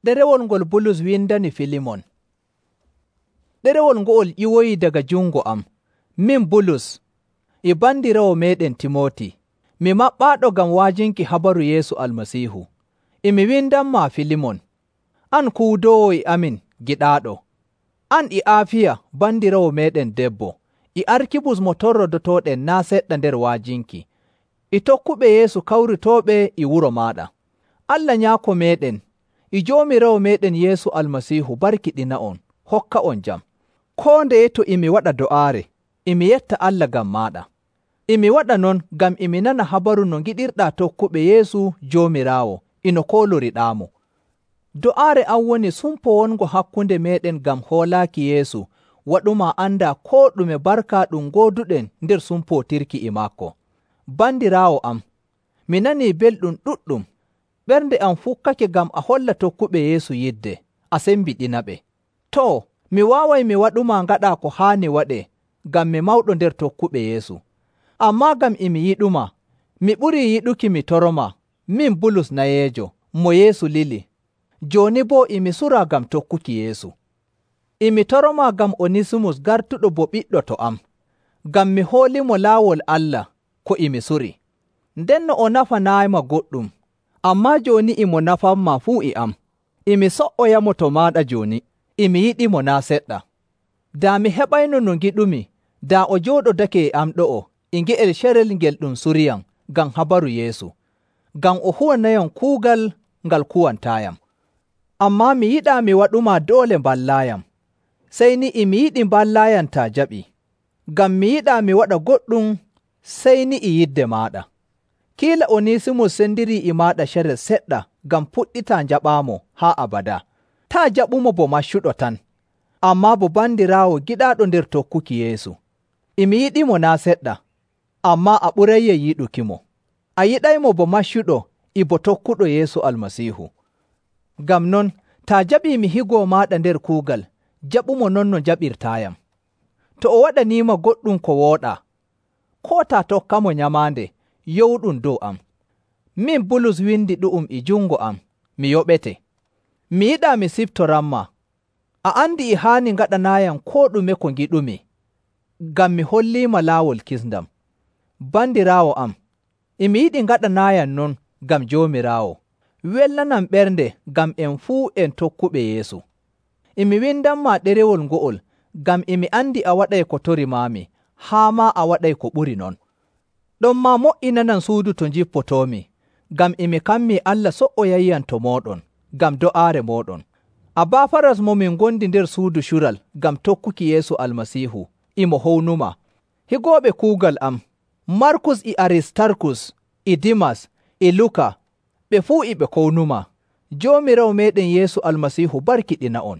Ɗerewol ngol Bulus windani Filimon. Ɗerewol ngo'ol ƴiwoyi daga jungo am, min Bulus, e bandiraawo meeɗen Timooti, mi maɓɓaaɗo ngam wa'ajinki habaru Yeesu Almasiihu. E mi windanmaa Filimon, an kuudoowo e amin giɗaaɗo. An e Aafiya bandiraawo meeɗen debbo, e Arkibus mo torrodotooɗen naa' seɗɗa nder wa'ajinki, e tokkuɓe Yeesu kawritooɓe e wuro maaɗa. Allah Nyaako meeɗen, e Joomiraawo meeɗen Yeesu Almasiihu barkiɗina'on, hokka'on jam. Koo ndeye to e mi waɗa do'aare, e mi yetta Allah ngam maaɗa. E mi waɗa non ngam e mi nana habaru no ngiɗirɗaa tokkuɓe Yeesu Joomiraawo e no kooloriɗaamo. Do'aare am woni sumpo wongo hakkunde meeɗen ngam hoolaaki Yeesu waɗumaa andaa koo ɗume barka ɗum ngooduɗen nder sumpootirki e maako. Bandiraawo am, mi nanii belɗum ɗuɗɗum. Ɓernde am fukkake ngam a holla tokkuɓe Yeesu yidde, a sembiɗinaɓe. Too, mi waaway mi waɗumaa ngaɗaa ko haani waɗee ngam mi mawɗo nder tokkuɓe Yeesu. Ammaa ngam e mi yiɗumaa, mi ɓurii yiɗuki mi toromaa, min Bulus nayeejo, mo Yeesu lili. Jooni boo e mi suraa ngam tokkuki Yeesu. E mi toromaa ngam Onisimus gartuɗo bo ɓiɗɗo to am, ngam mi hoolimo laawol Allah ko e mi suri. Ndenno o nafanaayima goɗɗum, ammaa jooni e mo nafanmaa fuu e am. E mi so''oyamo to maaɗa jooni, e mi yiɗimo naa' seɗɗa. Daa mi heɓayno no ngiɗumi, daa o jooɗodake e am ɗo'o e nge'el carel ngel ɗum suriyam ngam habaru Yeesu, ngam o huwanayam kuugal ngal kuwantaayam. Ammaa mi yiɗaa mi waɗumaa doole mballaayam, sey ni e mi yiɗi mballaayam taa jaɓii, ngam mi yiɗaa mi waɗa goɗɗum sey ni e yidde maaɗa. Kiila Onisimus sendirii e maaɗa carel seɗɗa ngam puɗɗitaa njaɓaamo haa abadaa. Taa jaɓumo bo maccuɗo tan, ammaa bo bandiraawo giɗaaɗo nder tokkuki Yeesu. E mi yiɗimo naa' seɗɗa, ammaa a ɓurayyam yiɗukimo. A yiɗaymo bo maccuɗo e bo tokkuɗo Yeesu Almasiihu. Ngam non, taa jaɓii mi higo maaɗa nder kuugal, jaɓumo non no njaɓirtaayam. To o waɗaniima goɗɗum ko wooɗaa, koo taa tokkamo nyamaande, yowɗum dow am. Min Bulus windi ɗu'um e jungo am, mi yoɓete. Mi yiɗaa mi siftoranmaa. A andi e haani ngaɗanaayam koo ɗume ko ngiɗumi, ngam mi holliima laawol kisndam. Bandiraawo am, e mi yiɗi ngaɗanaayam non ngam Joomiraawo. Welnanam ɓernde ngam en fuu en tokkuɓe Yeesu. E mi windanmaa ɗerewol ngo'ol ngam e mi andi a waɗay ko torimaami, haa maa a waɗay ko ɓuri non. Ɗonmaa mo''inanam suudu to njippotoomi, ngam e mi kammii Allah so''oyayyam to mooɗon, ngam do'aare mooɗon. Abaafaras mo min ngondi nder suudu cural ngam tokkuki Yeesu Almasiihu, e mo hownumaa. Higooɓe kuugal am, Markus e Aristarkus, e Dimas, e Luka, ɓe fuu e ɓe kownumaa. Joomiraawo meeɗen Yeesu Almasiihu barkiɗina'on.